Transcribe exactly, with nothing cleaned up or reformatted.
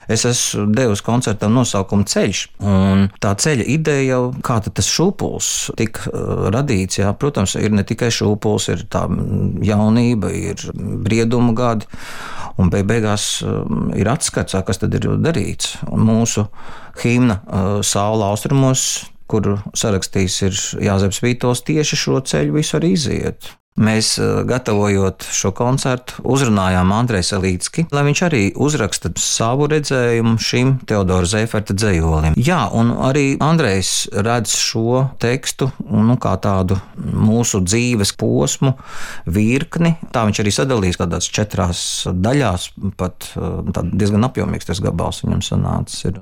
Es esmu devis koncertam nosaukumu Ceļš, un tā ceļa ideja jau kā tas šūpuls tika radīts. Jā. Protams, ir ne tikai šūpuls, ir tā jaunība, ir brieduma gadi, un beigās ir atskats, kas tad ir darīts. Un mūsu himna Saula austrumos, kuru sarakstījis ir Jāzeps Vītols, tieši šo ceļu visu arī iziet. Mēs, gatavojot šo koncertu, uzrunājām Andreju Salīcki, lai viņš arī uzraksta savu redzējumu šim Teodora Zeiferta dzejolim. Jā, un arī Andrejs redz šo tekstu nu, kā tādu mūsu dzīves posmu, virkni. Tā viņš arī sadalījis kādās četrās daļās, pat diezgan apjomīgs tas gabals viņam sanācis ir.